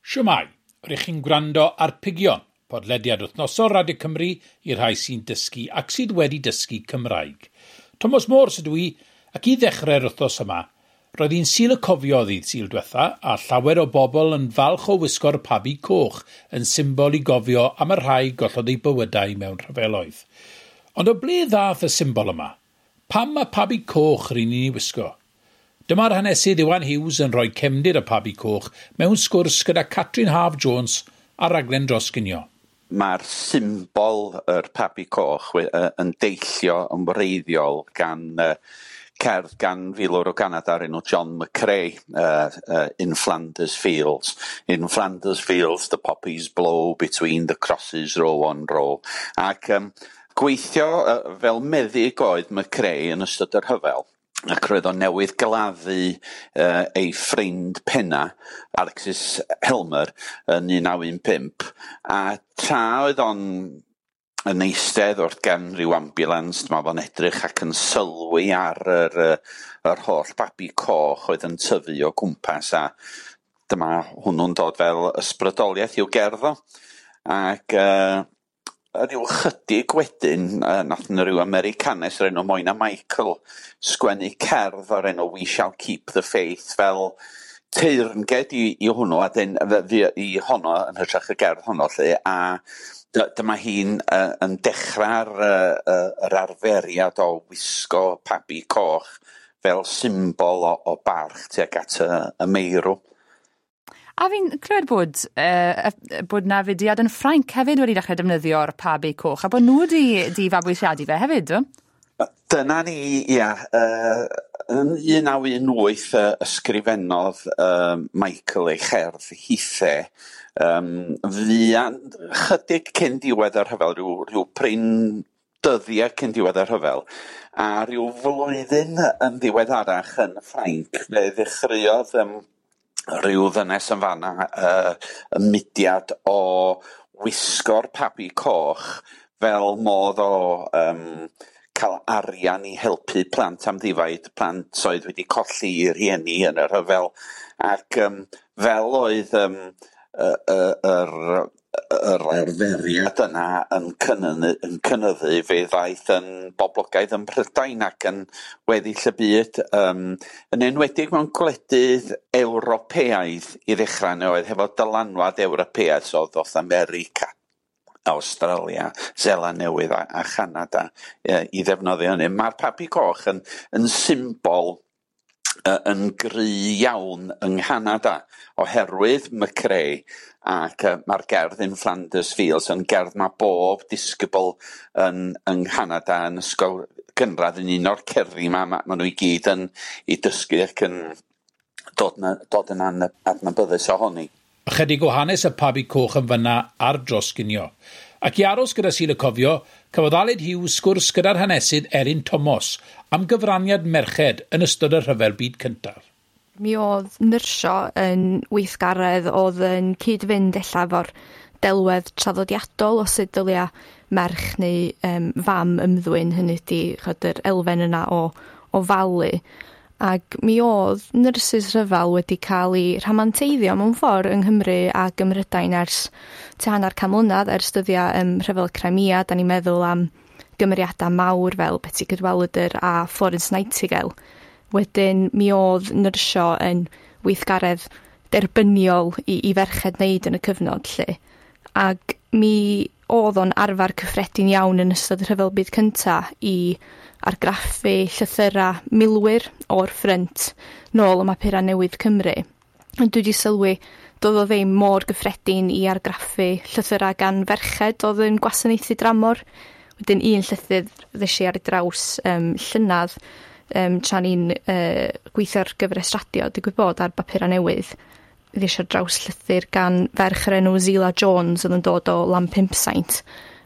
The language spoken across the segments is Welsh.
Shwmae, rych chi'n gwrando ar Pigion, podlediad wythnosol Radio Cymru i'r rhai sy'n dysgu ac sydd wedi dysgu Cymraeg. Thomas Morse ydw i, ac i ddechrau'r wythnos yma, roedd hi'n Sul y Cofio ddydd Sul diwetha a llawer o bobl yn falch o wisgo'r pabi coch yn symbol i gofio am y rhai gollodd eu bywydau mewn rhyfeloedd. Ond o ble ddath y symbol yma? Pam mae pabi coch ry'n ni'n ei wisgo? Dyma'r hanesydd Iwan Hughes yn rhoi cefndir y pabi coch mewn sgwrs gyda Catrin Haf Jones ar raglen dros ginio. Mae'r symbol yr pabi coch yn deillio yn wreiddiol gan cerdd gan filwr o Ganada o'r enw John McCrae, In Flanders Fields. In Flanders Fields the poppies blow between the crosses row on row. Ac gweithio fel meddyg oedd McCrae yn ystod yr rhyfel, ac roedd o newydd gladdu ei ffrind penna, Alexis Helmer, yn 1915, a tra oedd o'n yn eistedd wrth gefn rhyw ambulance, dyma fo'n edrych ac yn sylwi ar yr holl babi coch oedd yn tyfu o gwmpas, a dyma hwnnw'n dod fel ysbrydoliaeth i'w gerdd o. Ac ryw chydig wedyn, nath 'na ryw Americanes o'r enw Moina Michael sgwennu cerdd o'r enw We Shall Keep the Faith fel teyrnged i hwnnw, a dyn, i honno yn hytrach y gerdd honno 'lly, a dyma hi'n yn dechrau'r yr arferiad o wisgo pabi coch fel symbol o barch tuag at y meirw. A fi'n clywed bod 'na fudiad yn Ffrainc hefyd wedi dechrau defnyddio'r pabi coch, a bod nhw wedi fabwysiadu fe hefyd, do? Dyna ni, ia. Yn 1918 ysgrifennodd Michael ei cherdd hithe. Fuan chydig cyn diwedd y rhyfel, rhyw prin dyddiau cyn diwedd y rhyfel, a rhyw flwyddyn yn ddiweddarach yn Ffrainc, fe ddechreuodd rhyw ddynes yn fanna y mudiad o wisgo'r pabi coch fel modd o cael arian i helpu plant amddifaid, plant oedd wedi colli eu rhieni yn y rhyfel, ac fel oedd yr arferiad yna yn cynyddu, fe ddaeth yn boblogaidd yn Prydain ac yn weddill y byd, yn enwedig mewn gwledydd Ewropeaidd i ddechrau, neu oedd hefo dylanwad Ewropeaidd, so ddoth America, Awstralia, Seland Newydd a Chanada i ddefnyddio hynny. Mae'r pabi coch yn symbol yn gry iawn yng Nghanada oherwydd McCrae, ac mae'r gerdd In Flanders Fields yn gerdd mae bob disgybl yng Nghanada yn ysgol gynradd yn un o'r cerddi 'ma, ma' nhw i gyd yn ei dysgu ac yn dod yn adnabyddus ohoni. Ychydig o hanes y pabi coch yn fyna ar dros ginio. Ac i aros gyda Sul y Cofio, cafodd Aled Hughes sgwrs gyda'r hanesydd Erin Thomas am gyfraniad merched yn ystod y Rhyfel Byd Cyntaf. Mi oedd nyrsio yn weithgaredd oedd yn cyd-fynd ella efo'r delwedd traddodiadol o sut dylia merch neu fam ymddwyn, hynny ydi ch'od yr elfen yna o ofalu. Ac mi oedd nyrsys rhyfel wedi cael eu rhamanteiddio mewn ffordd yng Nghymru ac ym Mhrydain ers tua hanner can mlynedd, ers dyddiau rhyfel Crimea. Da ni'n meddwl am gymeriadau mawr fel Betsi Cadwaladr a Florence Nightingale. Wedyn mi oedd nyrsio yn weithgaredd derbyniol i ferched wneud yn y cyfnod 'lly. Ac mi oedd o'n arfer cyffredin iawn yn ystod y Rhyfel Byd Cynta i argraffu llythyra milwyr o'r ffrynt nôl ym mhapura newydd Cymru. Ond dwi wedi sylwi doedd o ddim mor gyffredin i argraffu llythyra gan ferched oedd yn gwasanaethu dramor. Wedyn un llythyr ddes i ar ei draws llynedd tra ni'n gweithio ar gyfres radio, digwydd bod ar bapura newydd, ddes i ar draws llythyr gan ferch yr enw Zila Jones oedd yn dod o Lanpumsaint.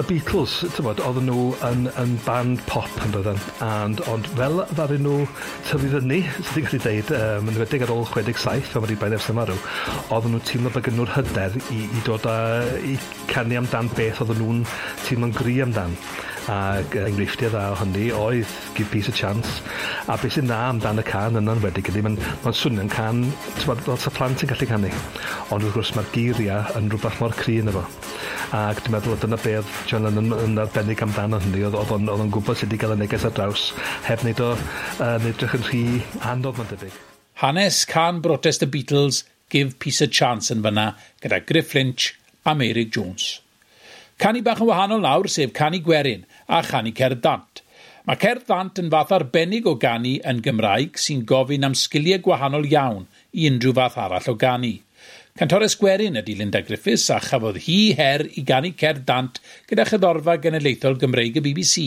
Y Beatles, tybod, oedden nhw yn band pop yn doedden, ond fel ddaru nhw tyfu fyny, sydd wedi gallu deud, yn enwedig ar ôl 67, pan wedi Brian Epstein marw, oedden nhw'n teimlo bod gen nhw'r hyder i dod a i canu amdan beth oedden nhw'n teimlo'n gry amdan. Ac enghreifftiau dda o hynny oedd Give Peace a Chance. A beth sy'n dda amdan y cân yna'n wedi ydy, mae'n swnio'n cân, tybod, fel sa plant yn gallu canu. Ond wrth gwrs mae'r geiriau yn rhywbeth mor cry yno fo. Ac dwi'n meddwl dyna be oedd John Lennon yn arbennig amdano hynny, oedd o'n gwybod sut i gael y neges ar draws, heb wneud o edrych yn rhy anodd, mae'n debyg. Hanes cân brotest y Beatles, Give Peace a Chance yn fyna, gyda Griff Lynch a Meurig Jones. Canu bach yn wahanol nawr, sef canu gwerin a chanu cerdd dant. Mae cerdd dant yn fath arbennig o ganu yn Gymraeg sy'n gofyn am sgiliau gwahanol iawn i unrhyw fath arall o ganu. Cantores gwerin ydy Linda Griffiths a chafodd hi her i ganu cerdd dant gyda Cherddorfa Genedlaethol Gymreig y BBC.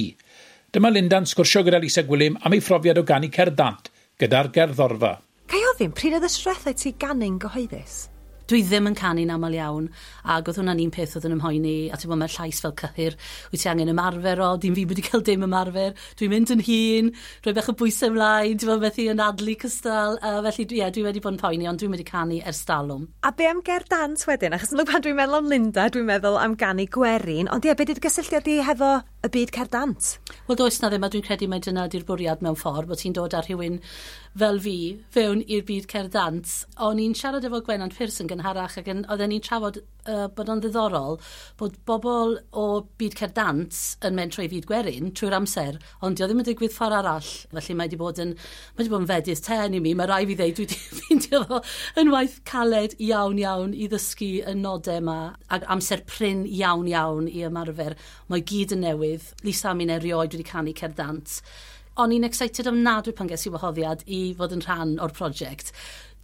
Dyma Linda'n sgwrsio gyda Lisa Gwilym am ei phrofiad o ganu cerdd dant gyda'r gerddorfa. Ga i ofyn, pryd oedd y tro dwetha i ti ganu'n gyhoeddus? Dwi ddim yn canu'n aml iawn, ac oedd hwnna'n un peth oedd yn ymhoeni, a ti'n bod, mae'r llais fel cyhyr, wyt ti angen ymarfer o, dim fi wedi cael dim ymarfer, dwi'n mynd yn hŷn, rhoi bach o bwysau ymlaen, ti'n bod, methu anadlu cystal, a felly ie, dwi wedi bod yn poeni, ond dwi'n wedi canu ers talwm. A be am gerdd dant wedyn? Achos pan dwi'n meddwl am Linda, dwi'n meddwl am ganu gwerin, ond ie, be di'r gysylltiad di hefo y byd cerdd dant? Wel, does na ddim, a dwi'n credu mai dyna di'r bwriad mewn ffordd, bod ti'n dod â rhywun fel fi fewn i'r byd cerdd dant. O'n i'n siarad efo Gwennan Pearson gynharach ac oedden ni'n trafod bod o'n ddiddorol bod bobl o byd cerdd dant yn mentro i fyd gwerin trwy'r amser, ond dio ddim yn digwydd ffordd arall. Felly mae wedi bod yn fedydd ten i mi. Mae rai fi ddeud, dwi wedi ffeindio fo yn waith caled iawn iawn i ddysgu y nodau yma ac amser prin iawn iawn i ymarfer. Mae gyd yn newydd. Lisa a mi'n erioed wedi canu cerdd dant. O'n i'n excited ofnadwy pan ges i wahoddiad i fod yn rhan o'r prosiect.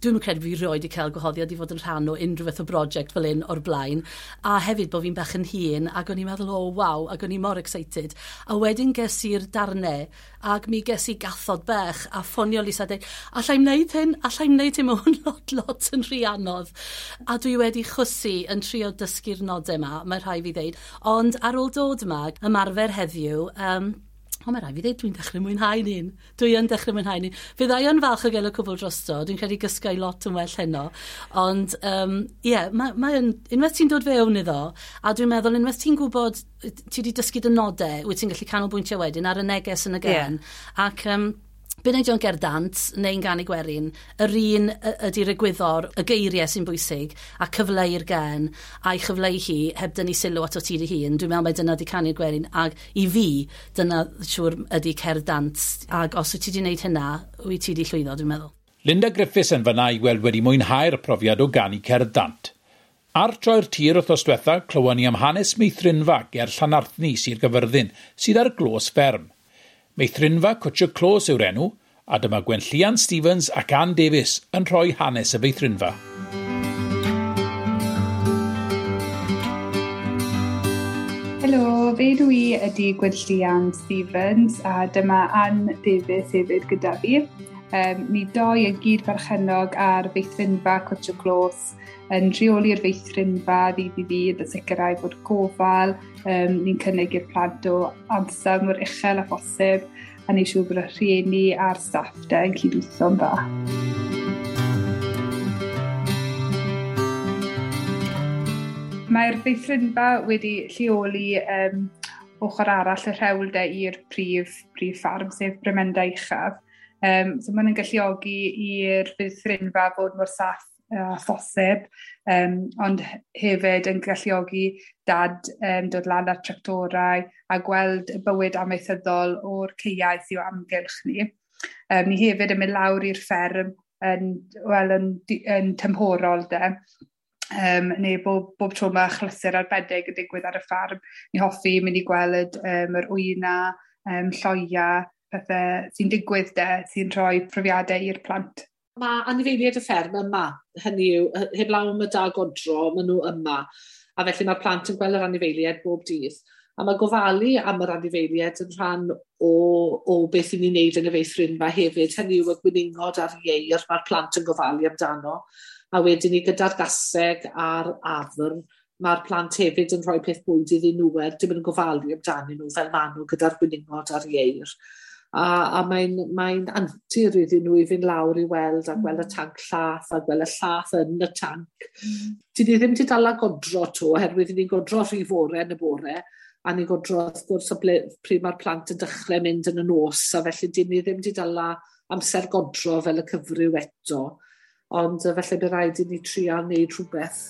Dwi'n credu fi rioed i cael gwahoddiad i fod yn rhan o unrhyw fath o brosiect fel un o'r blaen. A hefyd bod fi'n bach yn hŷn, ac o'n i'n meddwl, "Oh, waw," ac o'n i mor excited. A wedyn ges i'r darnau, ac mi ges i gathod bech, a ffonio Lisa a dweud, "Allai'm wneud hyn, allai'm wneud hyn, mae hwn lot, lot yn rhy anodd." A dwi wedi chwysu yn trio dysgu'r nodau yma, mae rhai fi ddeud. Ond ar ôl dod yma, ymarfer heddiw, ond mae rhaid fi ddweud, dwi'n dechrau mwynhau un. Dwi yn dechrau mwynhau un. Fydda i yn falch o gael y cwbl drosto. Dwi'n credu gysgai lot yn well heno. Ond, ie, yeah, mae yn, unwaith ti'n dod fewn iddo, a dwi'n meddwl, unwaith ti'n gwybod, ti wedi dysgu dy nodau, wyt ti'n gallu canolbwyntio wedyn ar y neges yn y gân. Ac be wneud o'n gerdd dant neu'n ganu gwerin, yr un ydy'r egwyddor, y geiriau sy'n bwysig, a cyfleu'r gân, a'i chyfleu hi heb dynnu sylw ato ti dy hun. Dwi'n meddwl mai dyna di canu'r gwerin, ac i fi, dyna siŵr ydy cerdd dant. Ac os wyt ti wedi gwneud hynna, wyt ti wedi llwyddo, dwi'n meddwl. Linda Griffiths yn fyna i weld wedi mwynhau'r profiad o ganu cerdd dant. Ar Troi'r Tir wythnos diwetha, clywon ni am hanes meithrinfa ger Llanarthni, Sir Gyfyrddin, sydd ar glos fferm. Meithrinfa Cwtsh y Clos yw'r enw, a dyma Gwenllian Stevens ac Ann Davies yn rhoi hanes y feithrinfa. Helo, fy enw i ydy Gwenllian Stevens a dyma Ann Davies hefyd gyda fi. Ni doi yn gyd berchennog ar feithrinfa Cwtsh y Clos, yn rheoli'r feithrinfa ddydd i ddydd a sicrhau bod gofal ni'n cynnig i'r plant o ansawdd mor uchel â phosib a neud siŵr bod y rhieni a'r staff de yn cydweithio'n dda. Mae'r feithrinfa wedi lleoli ochr arall y rhewl de i'r prif ffarm, sef Bryn Uchaf. So maen nhw'n galluogi i'r feithrinfa fod mor saff a phosib, ond hefyd yn galluogi dad dod lan ar tractorau a gweld y bywyd amaethyddol o'r caeau sydd o amgylch ni. Ni hefyd yn mynd lawr i'r fferm yn, wel, yn tymhorol de, neu bob tro mae achlysur arbennig yn digwydd ar y ffarm. Ni hoffi mynd i gweld yr wyna, lloia, pethau sy'n digwydd de, sy'n rhoi profiadau i'r plant. Mae anifeiliaid y fferm yma, hynny yw, heblaw am y da godro, maen nhw yma. A felly mae'r plant yn gweld yr anifeiliaid bob dydd. A mae gofalu am yr anifeiliaid yn rhan o beth i ni'n neud yn y feithrinfa hefyd. Hynny yw y gwningod a'r ieir mae'r plant yn gofalu amdano. A wedyn ni gyda'r gaseg a'r afr, Mae'r plant hefyd yn rhoi peth bwyd iddyn nhw er dim yn gofalu amdanyn nhw fel maen nhw gyda'r gwningod a'r ieir. A mae'n antur iddyn nhw i fynd lawr i weld a gweld y tanc llath a gweld y llath yn y tanc. Dyn ni ddim wedi dala godro to, oherwydd ni'n godro rhy fore yn y bore, a ni'n godro wrth gwrs o ble, pryd mae'r plant yn dechrau mynd yn y nos, a felly dyn ni ddim wedi dala amser godro fel y cyfryw eto. Ond felly bydd rhaid i ni trio wneud rhywbeth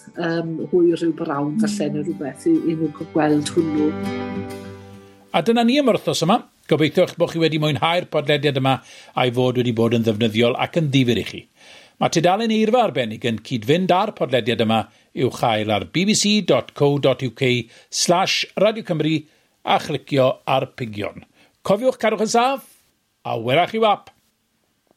hwy rhyw brawn falle neu rhywbeth i nhw gweld hwnnw. A dyna ni am yr wythnos yma. Gobeithio eich bod chi wedi mwynhau'r podlediad yma a'i fod wedi bod yn ddefnyddiol ac yn ddifyr i chi. Mae tudalen eirfa arbennig yn cyd-fynd â'r podlediad yma i'w chael ar bbc.co.uk/Radio Cymru a chlicio ar pigion. Cofiwch cadwch yn saff a welach chi wap!